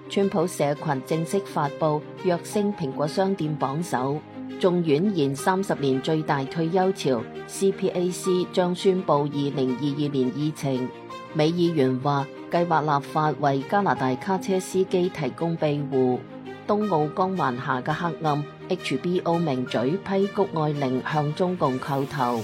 川普社群正式發布躍升蘋果商店榜首。眾院延30年最大退休潮 ，CPAC 將宣布2022年議程。美議員話計劃立法為加拿大卡車司機提供庇護。東澳光環下嘅黑暗 ，HBO 名嘴批谷愛凌向中共叩頭。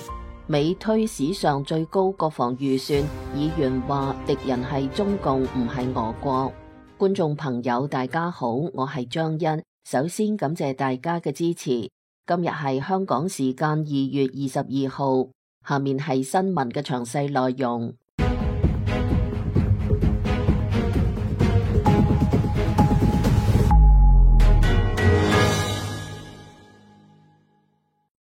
美推史上最高國防預算，議員話敵人係中共唔係俄國。觀眾朋友大家好，我係張欣，首先感謝大家嘅支持。今日係香港時間2月22號，下面係新聞嘅詳細內容。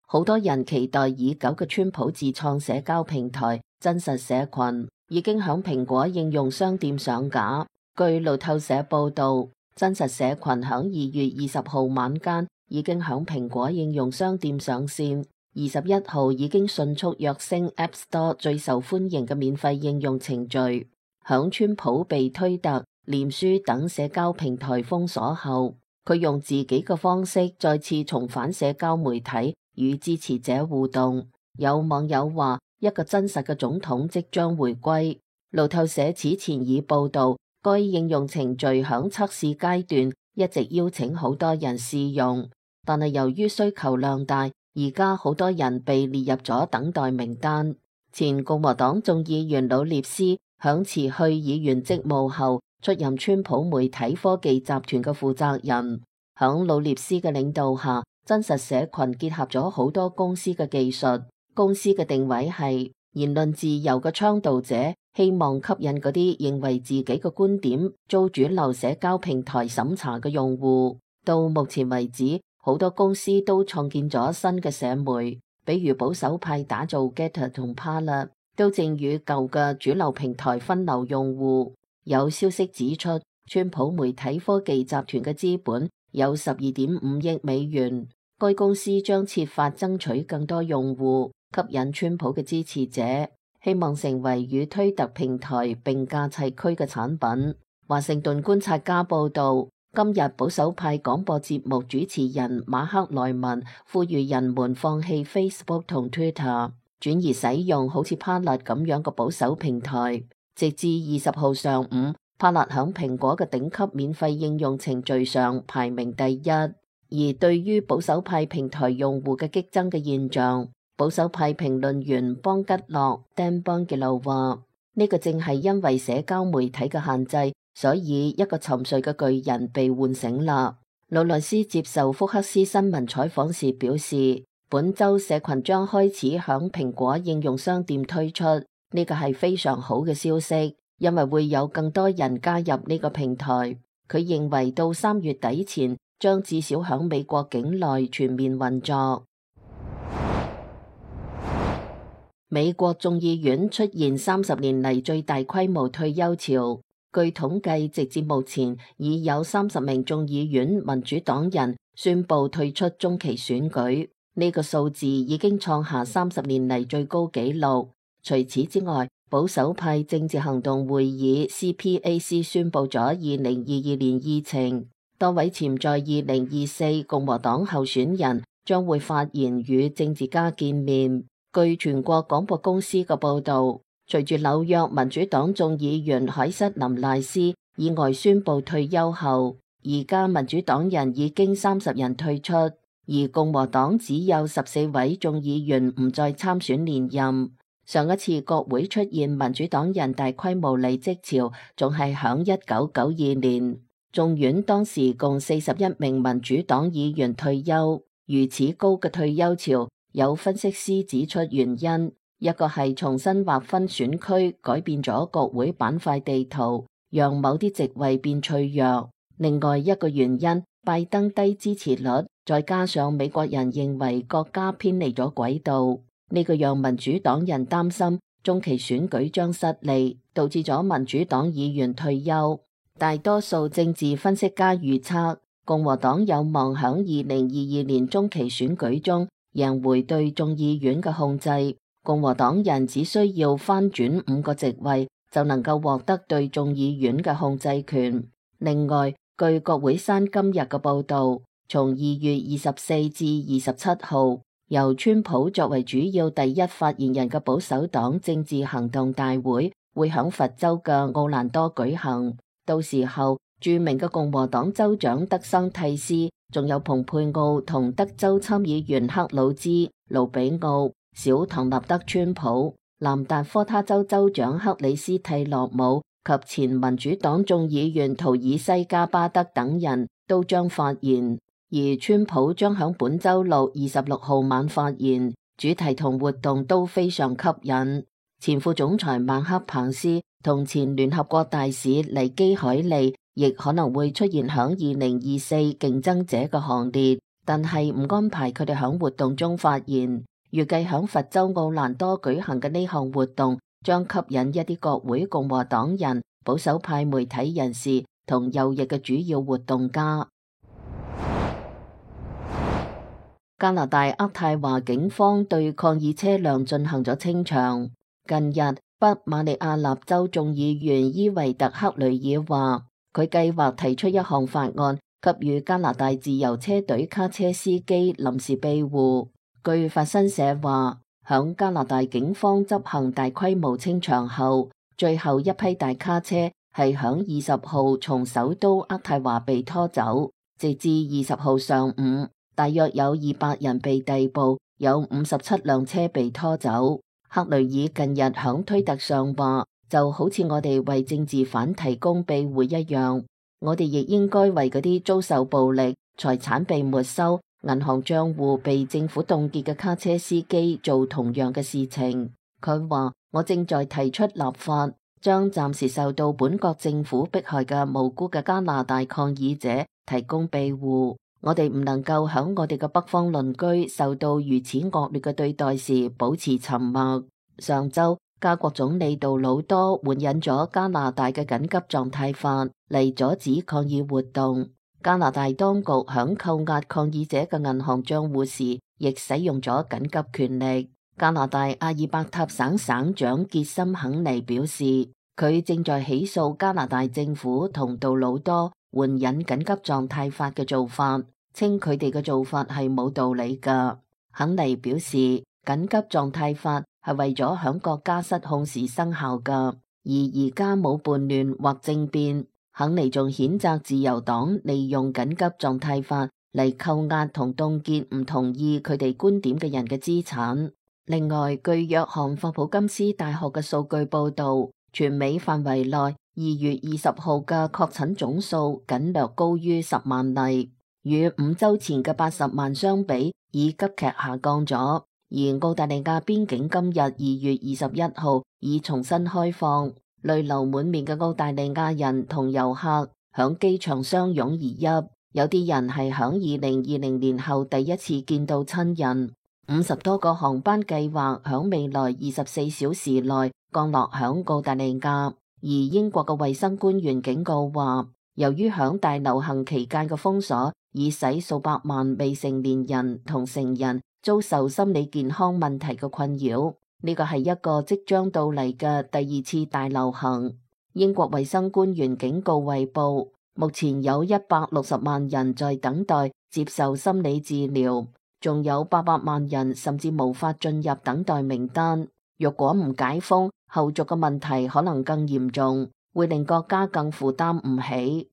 好多人期待已久嘅川普自創社交平台真實社群已經響蘋果應用商店上架。據路透社報道，真實社群響2月20號晚間已經響蘋果應用商店上線，21號已經迅速躍升 App Store 最受歡迎嘅免費應用程序。響川普被推特、臉書等社交平台封鎖後，佢用自己嘅方式再次重返社交媒體與支持者互動。有網友話，一個真實嘅總統即將回歸。路透社此前已報道，該應用程序響測試階段，一直邀請好多人試用，但係由於需求量大，而家好多人被列入咗等待名單。前共和黨眾議員魯列斯響辭去議員職務後，出任川普媒體科技集團嘅負責人。響魯列斯嘅領導下，真實社群結合咗好多公司嘅技術。公司嘅定位係言論自由嘅倡導者，希望吸引嗰啲認為自己嘅觀點遭主流社交平台審查嘅用戶。到目前為止，好多公司都創建咗新嘅社媒，比如保守派打造 Getter 同 Parler， 都正與舊嘅主流平台分流用戶。有消息指出，川普媒體科技集團嘅資本有12.5億美元。該公司將設法爭取更多用戶，吸引川普嘅支持者，希望成為與推特平台並駕齊驅嘅產品。華盛頓觀察家報道，今日保守派廣播節目主持人馬克萊文呼籲人們放棄 Facebook 同 Twitter， 轉移使用好似 Parler 咁樣嘅保守平台。直至20號上午，Parler響蘋果嘅頂級免費應用程序上排名第一。而對於保守派平台用戶嘅激增嘅現象，保守派評論員邦吉洛 Dan Bongilo 話：呢個正係因為社交媒體嘅限制，所以一個沉睡嘅巨人被喚醒啦。魯內斯接受福克斯新聞採訪時表示，本周社群將開始響蘋果應用商店推出，呢個係非常好嘅消息，因為會有更多人加入呢個平台。佢認為到3月底前，將至少響美國境內全面運作。美國眾議院出現30年嚟最大規模退休潮，據統計，直至目前已有30名眾議院民主黨人宣布退出中期選舉，呢個數字已經創下30年嚟最高紀錄。除此之外，保守派政治行動會議 CPAC 宣布咗2022年議程。多位潛在2024共和黨候選人將會發言與政治家見面。據全國廣播公司嘅報導，隨住紐約民主黨眾議員凱瑟琳賴斯意外宣布退休後，而家民主黨人已經30人退出，而共和黨只有14位眾議員唔再參選連任。上一次國會出現民主黨人大規模離職潮，仲係響1992年。眾院當時共41名民主黨議員退休，如此高嘅退休潮，有分析師指出原因，一個係重新劃分選區，改變咗國會板塊地圖，讓某啲席位變脆弱。另外一個原因，拜登低支持率，再加上美國人認為國家偏離咗軌道，呢個讓民主黨人擔心中期選舉將失利，導致咗民主黨議員退休。大多數政治分析家預測，共和黨有望響2022年中期選舉中贏回對眾議院嘅控制。共和黨人只需要翻轉5個席位，就能夠獲得對眾議院嘅控制權。另外，據國會山今日嘅報導，從2月24至27號，由川普作為主要第一發言人嘅保守黨政治行動大會會響佛州嘅奧蘭多舉行。到時候，著名嘅共和黨州長德桑蒂斯，仲有蓬佩奧同德州參議員克魯茲、盧比奧、小唐納德川普、南達科他州州長克里斯蒂洛姆及前民主黨眾議員圖爾西加巴德等人都將發言，而川普將響本週六26號晚發言，主題同活動都非常吸引。前副總裁麥克彭斯同前聯合國大使尼基海利亦可能會出現響2024競爭者嘅行列，但係唔安排佢哋響活動中發言。預計響佛州奧蘭多舉行嘅呢項活動將吸引一啲國會共和黨人、保守派媒體人士同右翼嘅主要活動家。加拿大渥太華警方對抗議車輛進行咗清場。近日，北馬里亞納州眾議員伊維特克雷爾話，佢計劃提出一項法案，給予加拿大自由車隊卡車司機臨時庇護。據法新社話，響加拿大警方執行大規模清場後，最後一批大卡車係響20號從首都渥太華被拖走。直至20號上午，大約有200人被逮捕，有57輛車被拖走。克雷爾近日響推特上話，就好似我哋為政治犯提供庇護一樣，我哋亦應該為嗰啲遭受暴力、財產被沒收、銀行賬戶被政府凍結嘅卡車司機做同樣嘅事情。佢話，我正在提出立法，將暫時受到本國政府迫害嘅無辜嘅加拿大抗議者提供庇護。我哋唔能夠響我哋嘅北方鄰居受到如此惡劣嘅對待時保持沉默。上週，加國總理杜魯多援引咗加拿大嘅緊急狀態法嚟阻止抗議活動。加拿大當局響扣押抗議者嘅銀行賬戶時，亦使用咗緊急權力。加拿大阿爾伯塔省省長傑森肯尼表示，佢正在起訴加拿大政府同杜魯多援引緊急狀態法嘅做法，稱佢哋嘅做法係冇道理㗎。肯尼表示，緊急狀態法係為咗響國家失控時生效㗎，而而家冇叛亂或政變。肯尼仲譴責自由黨利用緊急狀態法嚟扣押同凍結唔同意佢哋觀點嘅人嘅資產。另外，據約翰霍普金斯大學嘅數據報導，全美範圍內2月20號嘅確診總數僅略高於10萬例，與5週前嘅80萬相比，已急劇下降咗。而澳大利亞邊境今日2月21號已重新開放，淚流滿面嘅澳大利亞人同遊客響機場相擁而泣，有啲人係響2020年後第一次見到親人。50多個航班計劃響未來24小時內降落響澳大利亞，而英國嘅衛生官員警告話，由於響大流行期間嘅封鎖，已使數百萬未成年人同成人遭受心理健康問題嘅困擾。呢個係一個即將到嚟嘅第2次大流行。英國衛生官員警告衛報，目前有160萬人在等待接受心理治療，仲有800萬人甚至無法進入等待名單。若果唔解封，後續嘅問題可能更嚴重，會令國家更負擔唔起。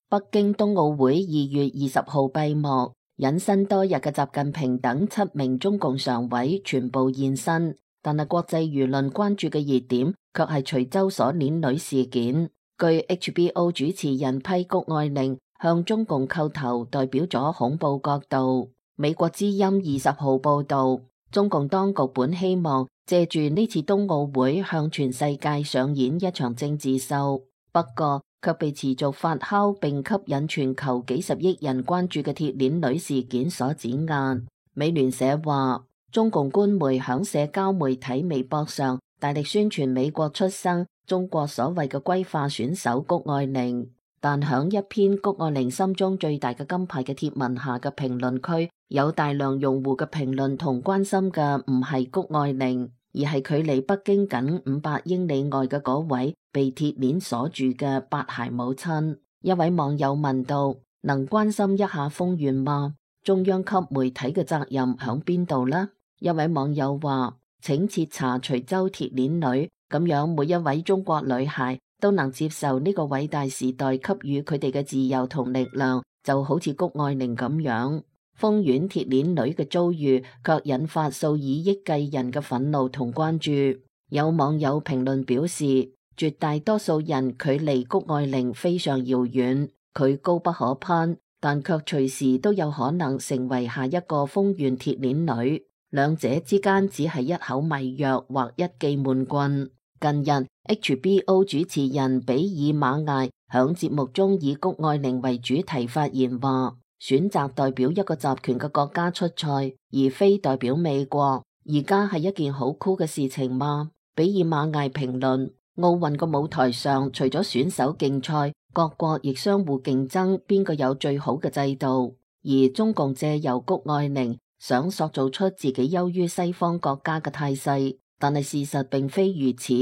北京冬奧會2月20號閉幕，隱身多日嘅習近平等7名中共常委全部現身，但係國際輿論關注嘅熱點卻係徐州鎖鏈女事件。據 HBO 主持人批谷愛玲向中共叩頭，代表咗恐怖角度。美國之音20號報道，中共當局本希望借住呢次冬奧會向全世界上演一場政治秀，不過卻被持續發酵並吸引全球幾十億人關注嘅鐵鏈女事件所碾壓。美聯社話，中共官媒響社交媒體微博上大力宣傳美國出生、中國所謂嘅歸化選手谷愛凌，但響一篇谷愛凌心中最大嘅金牌嘅貼文下嘅評論區，有大量用戶嘅評論同關心嘅唔係谷愛凌，而係距離北京僅500英里外嘅嗰位被鐵鏈鎖住嘅八孩母親。一位網友問道：能關心一下豐原嗎？中央級媒體嘅責任響邊度呢？一位網友話：請徹查徐州鐵鏈女，咁樣每一位中國女孩都能接受呢個偉大時代給予佢哋嘅自由同力量，就好似谷愛凌咁樣。豐原鐵鏈女嘅遭遇卻引發數以億計人嘅憤怒同關注。有網友評論表示，絕大多數人距離谷愛凌非常遙遠，佢高不可攀，但卻隨時都有可能成為下一個豐原鐵鏈女。兩者之間只係一口迷藥或一記悶棍。近日 HBO 主持人比爾馬艾響節目中以谷愛凌為主題發言話，選擇代表一個集權嘅國家出賽，而非代表美國，而家係一件好酷嘅事情嗎？比爾馬艾評論：奧運個舞台上，除咗選手競賽，各國亦相互競爭邊個有最好嘅制度，而中共借由谷愛凌想塑造出自己優於西方國家嘅態勢，但係事實並非如此。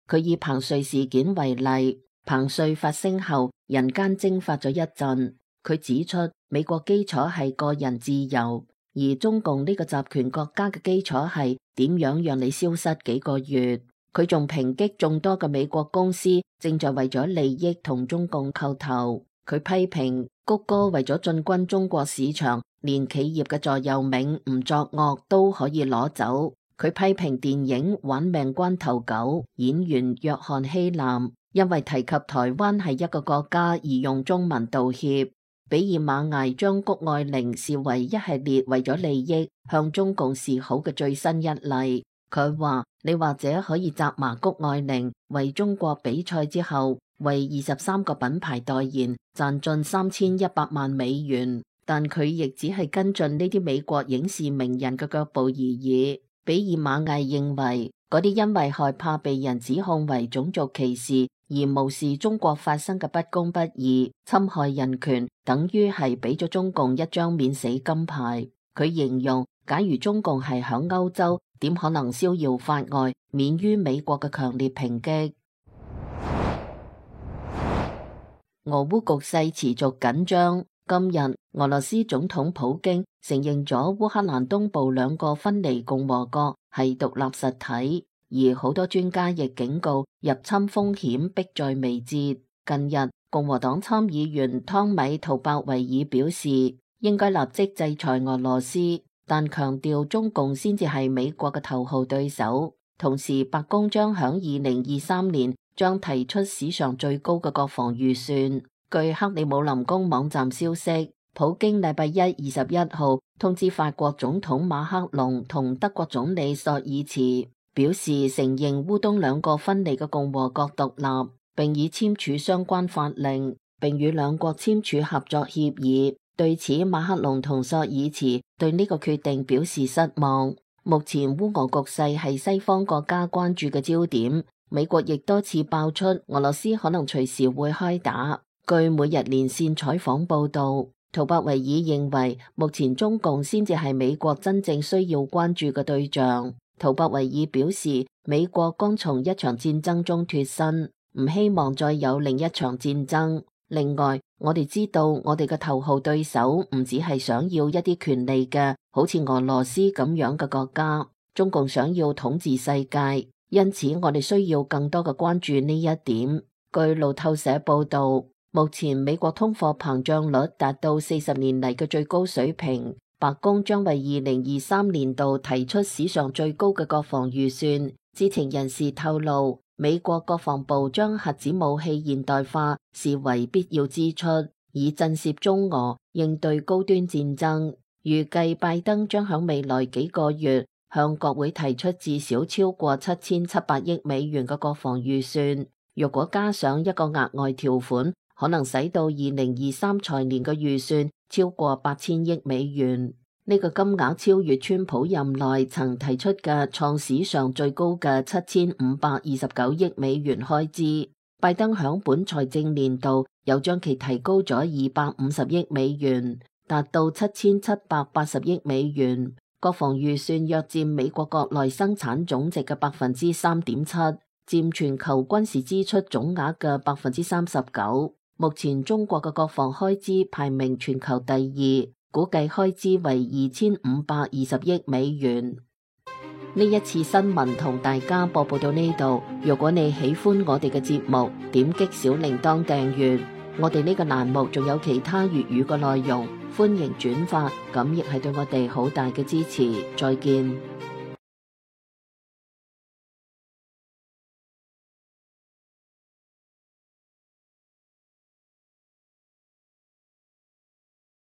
佢以彭帥事件為例，彭帥發聲後，人間蒸發咗一陣。佢指出，美國基礎係個人自由，而中共呢個集權國家嘅基礎係點樣讓你消失幾個月。佢仲抨擊眾多嘅美國公司正在為咗利益同中共叩頭。佢批評谷歌為咗進軍中國市場，連企業嘅座右銘唔作惡都可以攞走。佢批評電影《玩命關頭9》演員約翰希南因為提及台灣係一個國家而用中文道歉。比爾馬艾將谷愛凌視為一系列為咗利益向中共示好嘅最新一例。佢話：你或者可以責罵谷愛凌為中國比賽之後為23個品牌代言賺進3100萬美元，但佢亦只係跟進呢啲美國影視名人嘅腳步而已。比爾馬艾認為，嗰啲因為害怕被人指控為種族歧視而無視中國發生嘅不公不義、侵害人權，等於係俾咗中共一張免死金牌。佢形容，假如中共係響歐洲，點可能逍遙法外，免於美國嘅強烈抨擊。俄烏局勢持續緊張。今日，俄羅斯總統普京承認咗烏克蘭東部兩個分離共和國係獨立實體，而好多專家亦警告入侵風險迫在眉睫。近日，共和黨參議員湯米圖伯維爾表示，應該立即制裁俄羅斯，但強調中共先至係美國嘅頭號對手。同時，白宮將響2023年將提出史上最高嘅國防預算。據克里姆林宮網站消息，普京禮拜一21號通知法國總統馬克龍同德國總理朔爾茨，表示承認烏東兩個分離嘅共和國獨立，並已簽署相關法令，並與兩國簽署合作協議。對此，馬克龍同朔爾茨對呢個決定表示失望。目前烏俄局勢係西方國家關注嘅焦點，美國亦多次爆出俄羅斯可能隨時會開打。據每日連線採訪報道，圖伯維爾認為目前中共先至係美國真正需要關注嘅對象。圖伯維爾表示，美國剛從一場戰爭中脫身，唔希望再有另一場戰爭。另外，我哋知道我哋嘅頭號對手唔只係想要一啲權利嘅，好似俄羅斯咁樣嘅國家，中共想要統治世界，因此我哋需要更多嘅關注呢一點。據路透社報道，目前美國通貨膨脹率達到40年嚟嘅最高水平，白宮將為2023年度提出史上最高嘅國防預算。知情人士透露，美國國防部將核子武器現代化視為必要支出，以震懾中俄應對高端戰爭。預計拜登將喺未來幾個月向國會提出至少超過7700億美元嘅國防預算。若果加上一個額外條款，可能使到2023財年嘅預算超過8000億美元。呢個金額超越川普任內曾提出嘅創史上最高嘅7529億美元開支。拜登響本財政年度又將其提高咗250億美元，達到7780億美元。國防預算約佔美國國內生產總值嘅3.7%，佔全球軍事支出總額嘅39%。目前中國嘅國防開支排名全球第2，估計開支為2520億美元。呢一次新聞同大家播報到呢度。如果你喜歡我哋嘅節目，點擊小鈴鐺訂閱。我哋呢個欄目仲有其他粵語嘅內容，歡迎轉發，咁亦係對我哋好大嘅支持。再見。